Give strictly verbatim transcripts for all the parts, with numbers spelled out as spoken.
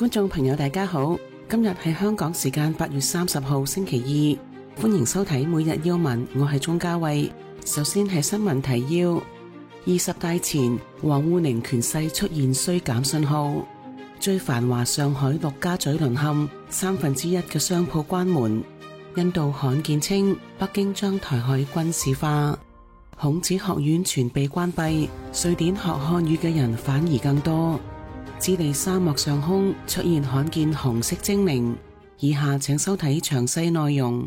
觀眾朋友大家好，今日係香港時間八月三十號星期二，歡迎收睇每日要聞，我係鍾嘉慧。首先係新聞提要：二十大前，王滬寧權勢出現衰減信號；最繁華上海陸家嘴淪陷，三分之一嘅商鋪關門；印度罕見稱北京將台海軍事化；孔子學院全被關閉，瑞典學漢語嘅人反而更多。智利沙漠上空出現罕見紅色精靈，以下請收睇詳細內容。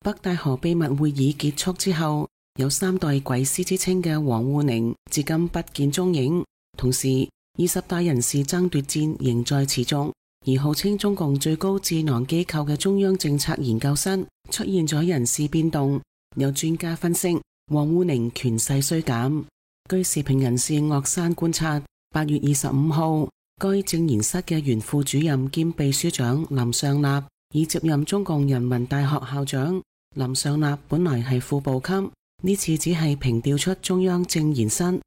北戴河秘密會議結束之後，有三代鬼師之稱嘅王滬寧至今不見蹤影，同時二十大人事爭奪戰仍在持續，而號稱中共最高智囊機構嘅中央政策研究室出現咗人事變動，有專家分析王滬寧權勢衰減。據時評人士岳山觀察，八月二十五號該政研室嘅原副主任兼秘書長林尚納已接任中共人民大學校長。林尚納本來係副部級，呢次只係平調出中央政研室。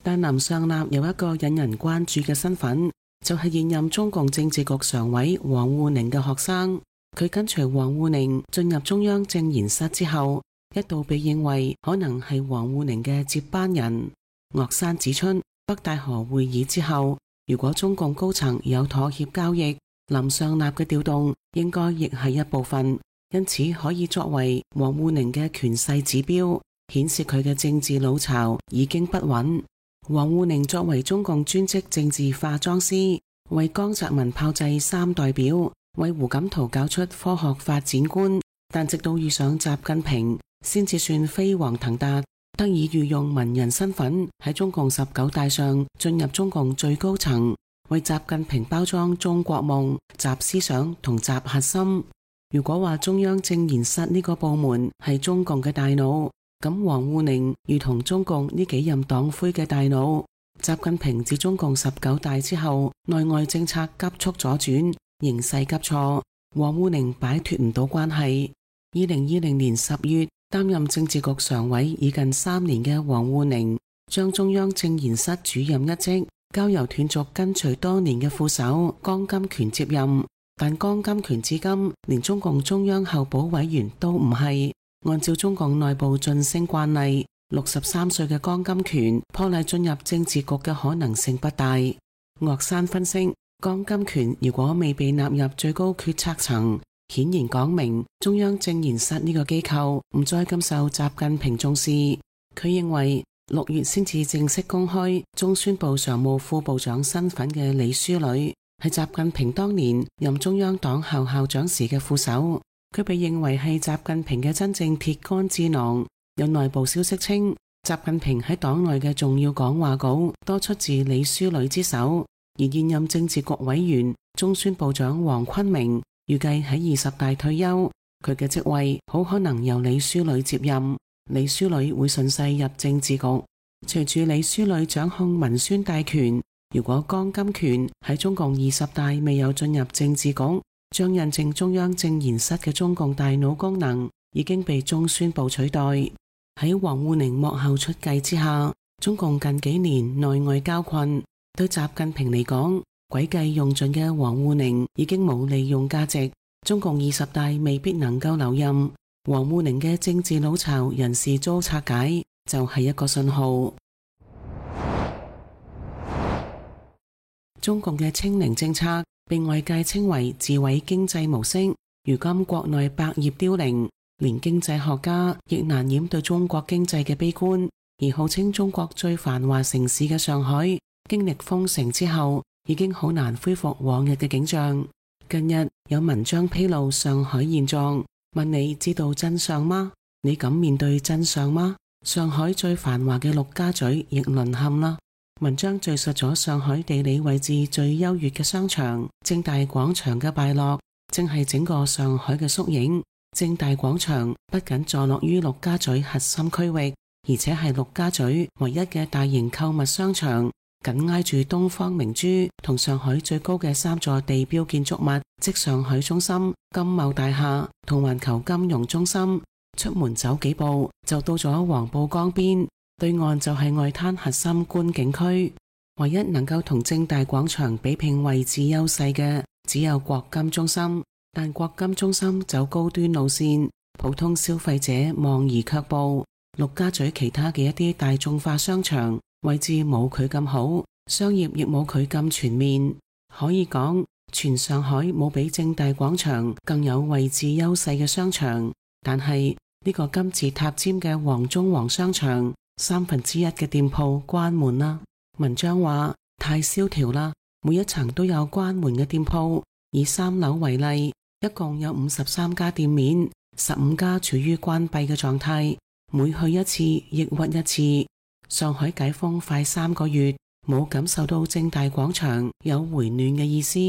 但林尚納有一個引人關注嘅身份，就係現任中共政治局常委王滬寧嘅學生。佢跟隨王滬寧進入中央政研室之後，一度被認為可能係王滬寧嘅接班人。岳山指出，北戴河會議之後，如果中共高層有妥協交易，林尚納嘅調動應該亦係一部分，因此可以作為王滬寧嘅權勢指標，顯示佢嘅政治老巢已經不穩。王滬寧作為中共專職政治化妝師，為江澤民炮製三代表，為胡錦濤搞出科學發展觀，但直到遇上習近平，先至算飛黃騰達，得以御用文人身份喺中共十九大上進入中共最高層，為習近平包裝中國夢、習思想同習核心。如果話中央政研室呢個部門係中共嘅大腦，咁王滬寧如同中共呢幾任黨魁嘅大腦。習近平自中共十九大之後，內外政策急速左轉，形勢急挫，王滬寧擺脫唔到關係。二零二零年十月，擔任政治局常委已近三年嘅王滬寧，將中央政研室主任一職交由斷續跟隨多年嘅副手江金權接任，但江金權至今連中共中央候補委員都唔係。按照中共內部晉升慣例，六十三歲嘅江金權破例進入政治局嘅可能性不大。岳山分析，江金權如果未被納入最高決策層，顯然講明中央政研室呢個機構唔再咁受習近平重視。佢認為六月先至正式公開中宣部常務副部長身份嘅李書磊，係習近平當年任中央黨校校長時嘅副手。佢被認為係習近平嘅真正鐵桿智囊。有內部消息稱，習近平喺黨內嘅重要講話稿多出自李書磊之手，而現任政治局委員中宣部長黃坤明預計喺二十大退休，佢嘅職位好可能由李書磊接任。李書磊會順勢入政治局。隨住李書磊掌控文宣大權，如果江金權喺中共二十大未有進入政治局，將印證中央政研室嘅中共大腦功能已經被中宣部取代。喺王滬寧幕後出計之下，中共近幾年內外交困，對習近平嚟講，詭計用盡嘅王滬寧已經冇利用價值，中共二十大未必能夠留任。王滬寧嘅政治老巢人事遭拆解，就係一個信號。中共嘅清零政策被外界稱為自毀經濟模式，如今國內百業凋零，連經濟學家亦難掩對中國經濟嘅悲觀。而號稱中國最繁華城市嘅上海，經歷封城之後，已經好難恢復往日嘅景象。近日有文章披露上海現狀，問你知道真相嗎？你敢面對真相嗎？上海最繁華嘅陸家嘴亦淪陷啦。文章敘述咗上海地理位置最優越嘅商場正大廣場嘅敗落，正係整個上海嘅縮影。正大廣場不僅坐落於陸家嘴核心區域，而且係陸家嘴唯一嘅大型購物商場，緊挨住東方明珠同上海最高嘅三座地標建築物，即上海中心、金茂大廈同環球金融中心。出門走幾步就到咗黃浦江邊，對岸就係外灘核心觀景區。唯一能夠同正大廣場比拼位置優勢嘅，只有國金中心，但國金中心走高端路線，普通消費者望而卻步。陸家嘴其他嘅一啲大眾化商場位置冇佢咁好，商業亦冇佢咁全面。可以講，全上海冇比正大廣場更有位置優勢嘅商場。但係呢個金字塔尖嘅黃中黃商場，三分之一嘅店鋪關門啦。文章話太蕭條啦，每一層都有關門嘅店鋪。以三樓為例，一共有五十三家店面，十五家處於關閉嘅狀態，每去一次抑鬱一次。上海解封快三個月，冇感受到正大廣場有回暖嘅意思。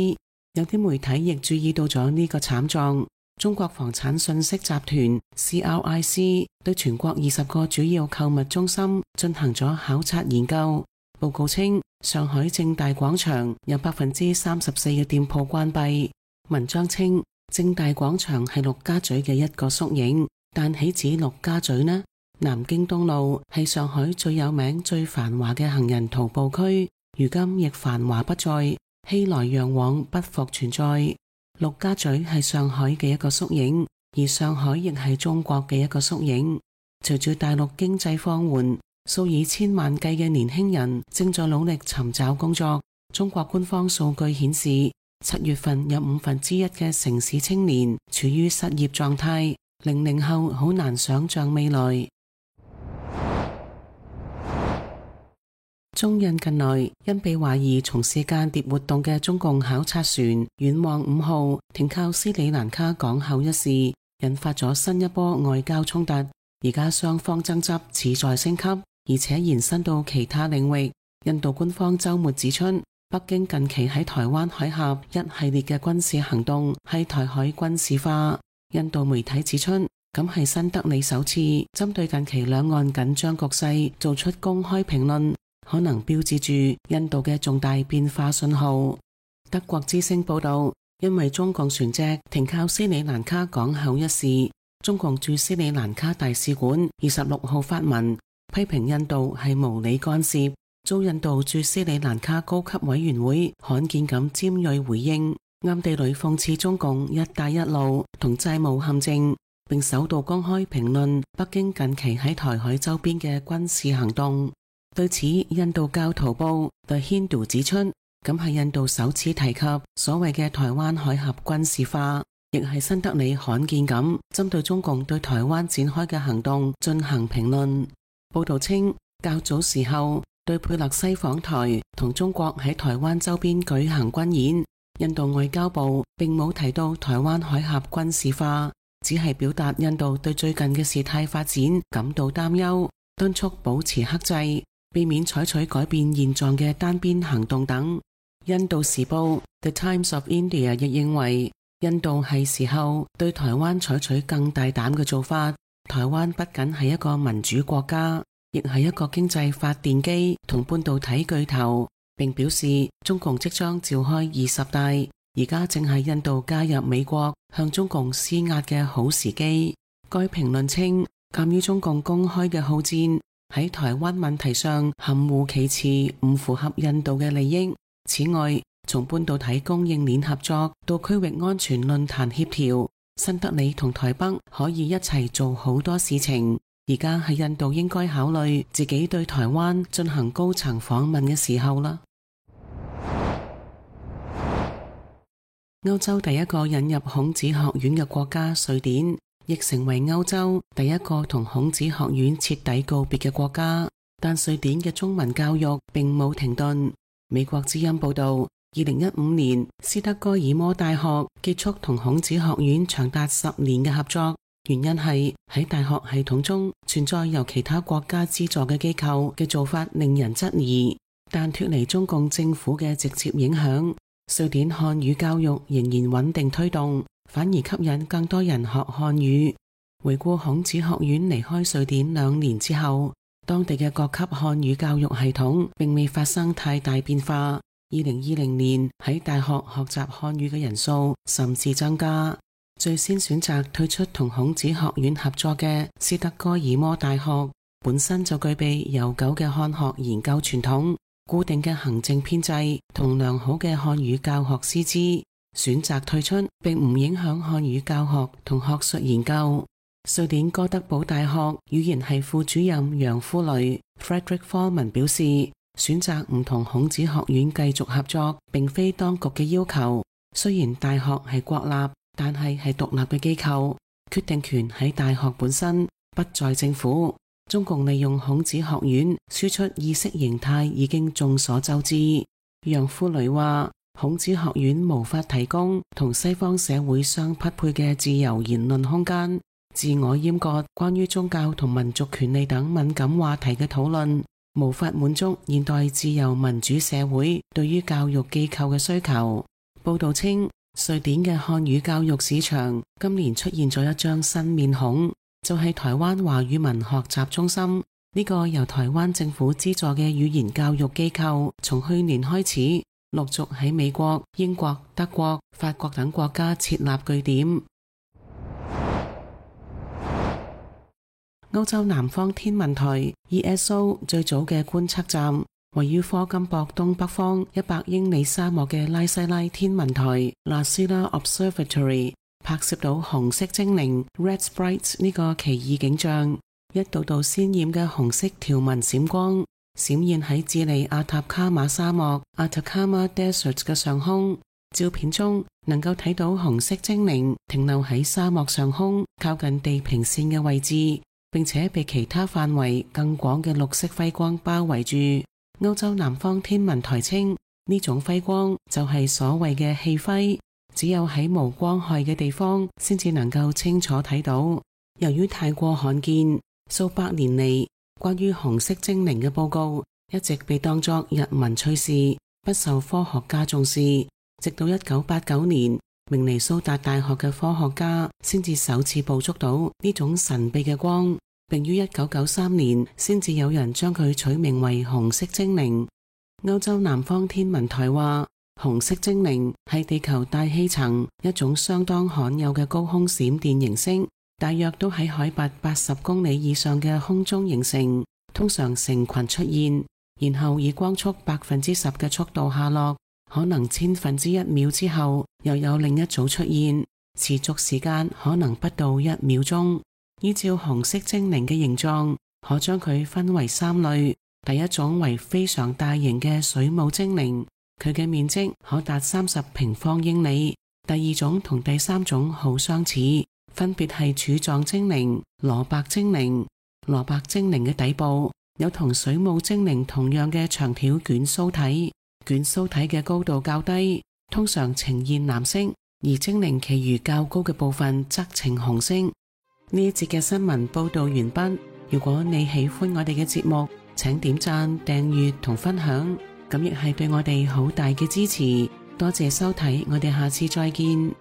有啲媒體亦注意到咗呢個慘狀。中國房產信息集團 C R I C 對全國二十個主要購物中心進行咗考察研究，報告稱上海正大廣場有百分之三十四嘅店鋪關閉。文章稱正大廣場係陸家嘴嘅一個縮影，但豈止陸家嘴呢？南京東路係上海最有名最繁華嘅行人徒步區，如今亦繁華不再，熙來攘往不復存在。陸家嘴係上海嘅一個縮影，而上海亦係中國嘅一個縮影。隨住大陸經濟放緩，數以千萬計嘅年輕人正在努力尋找工作。中國官方數據顯示，七月份有五分之一嘅城市青年處於失業狀態，零零後好難想象未來。中印近來因被懷疑從事間諜活動嘅中共考察船遠望五號停靠斯里蘭卡港口一事，引發咗新一波外交衝突。而家雙方爭執似在升級，而且延伸到其他領域。印度官方周末指出，北京近期喺台灣海峽一系列嘅軍事行動係台海軍事化。印度媒體指出，咁係新德里首次針對近期兩岸緊張局勢做出公開評論，可能標誌住印度嘅重大變化信號。德國之聲報道，因為中共船隻停靠斯里蘭卡港口一事，中共駐斯里蘭卡大使館二十六號發文批評印度係無理干涉，遭印度駐斯里蘭卡高級委員會罕見咁尖銳回應，暗地裏諷刺中共一帶一路同債務陷阱，並首度公開評論北京近期喺台海周邊嘅軍事行動。對此，印度教徒報 The Hindu 指出，咁係印度首次提及所謂嘅台灣海峽軍事化，亦係新德里罕見咁針對中共對台灣展開嘅行動進行評論。報道稱，較早時候對佩勒西訪台同中國喺台灣周邊舉行軍演，印度外交部並冇提到台灣海峽軍事化，只係表達印度對最近嘅事態發展感到擔憂，敦促保持克制，避免採取改變現狀嘅單邊行動等。印度時報 The Times of India 亦認為，印度係時候對台灣採取更大膽嘅做法。台灣不僅係一個民主國家，亦係一個經濟發電機同半導體巨頭，並表示中共即將召開二十大，而家正係印度加入美國向中共施壓嘅好時機。該評論稱，鑒於中共公開嘅好戰喺台灣問題上含糊其辭，唔符合印度嘅利益。此外，從半導體供應鏈合作到區域安全論壇協調，新德里同台北可以一齊做好多事情。而家係印度應該考慮自己對台灣進行高層訪問嘅時候啦。歐洲第一個引入孔子學院嘅國家瑞典，亦成為歐洲第一個同孔子學院徹底告別嘅國家。但瑞典嘅中文教育並冇停頓。美國之音報道，二零一五年斯德哥爾摩大學結束同孔子學院長達十年嘅合作，原因係喺大學系統中存在由其他國家資助嘅機構嘅做法令人質疑。但脫離中共政府嘅直接影響，瑞典漢語教育仍然穩定推動，反而吸引更多人學漢語。回顧孔子學院離開瑞典兩年之後，當地嘅各級漢語教育系統並未發生太大變化。二零二零年喺大學學習漢語嘅人數甚至增加。最先選擇退出同孔子學院合作嘅斯德哥爾摩大學，本身就具備悠久嘅漢學研究傳統、固定嘅行政編制同良好嘅漢語教學師資。選擇退出，並唔影響漢語教學同學術研究。瑞典哥德堡大學語言系副主任楊富雷 Fredrik Foreman 表示，選擇唔同孔子學院繼續合作，並非當局嘅要求。雖然大學係國立，但係係獨立嘅機構，決定權喺大學本身，不在政府。中共利用孔子學院輸出意識形態已經眾所周知。楊富雷話，孔子學院無法提供同西方社會相匹配嘅自由言論空間，自我閹割關於宗教同民族權利等敏感話題嘅討論，無法滿足現代自由民主社會對於教育機構嘅需求。報道稱，瑞典嘅漢語教育市場今年出現咗一張新面孔，就係台灣華語文學習中心。呢個由台灣政府資助嘅語言教育機構，從去年開始陸續喺美國、英國、德國、法國等國家設立據點。歐洲南方天文台 E S O 最早嘅觀測站，位於科金博東北方一百英里沙漠嘅拉西拉天文台 La Silla Observatory 拍攝到紅色精靈 Red Sprites 呢個奇異景象，一道道鮮艷嘅紅色條紋閃光，閃現喺智利阿塔卡馬沙漠 Atacama Desert 嘅上空。照片中能夠睇到紅色精靈停留喺沙漠上空靠近地平線嘅位置，並且被其他範圍更廣嘅綠色輝光包圍住。歐洲南方天文台稱，呢種輝光就係所謂嘅氣輝，只有喺無光害嘅地方先至能夠清楚睇到。由於太過罕見，數百年嚟關於紅色精靈嘅報告一直被當作日文趣事，不受科學家重視。直到一九八九年，明尼蘇達大學嘅科學家先至首次捕捉到呢種神秘嘅光，並於一九九三年先至有人將佢取名為紅色精靈。歐洲南方天文台話，紅色精靈係地球大氣層一種相當罕有嘅高空閃電形式，大約都喺海拔八十公里以上嘅空中形成，通常成群出現，然後以光速百分之十嘅速度下落，可能千分之一秒之後又有另一組出現，持續時間可能不到一秒鐘。依照紅色精靈嘅形狀，可將佢分為三類。第一種為非常大型嘅水母精靈，佢嘅面積可達三十平方英里。第二種同第三種好相似，分別係柱狀精靈、蘿蔔精靈。蘿蔔精靈嘅底部有同水母精靈同樣嘅長條捲鬚體，捲鬚體嘅高度較低，通常呈現藍色，而精靈其餘較高嘅部分則呈紅色。呢一節嘅新聞報道完畢。如果你喜歡我哋嘅節目，請點讚、訂閱同分享，咁亦係對我哋好大嘅支持。多謝收睇，我哋下次再見。